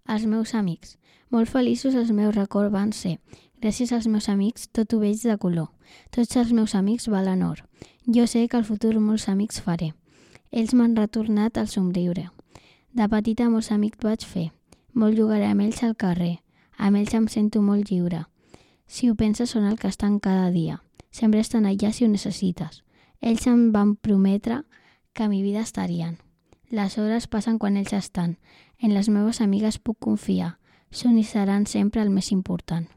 Els meus amics. Molt feliços els meus records van ser. Gràcies als meus amics, tot ho veig de color. Tots els meus amics valen or. Jo sé que al futur molts amics faré. Ells m'han retornat el somriure. De petita molts amics vaig fer. Molt jugaré amb ells al carrer. Amb ells em sento molt lliure. Si ho penses, són el que estan cada dia. Sempre estan allà si ho necessites. Ells em van prometre que a mi vida estarien. Les hores passen quan ells estan. En les meves amigues puc confiar. Són i seran sempre el més important.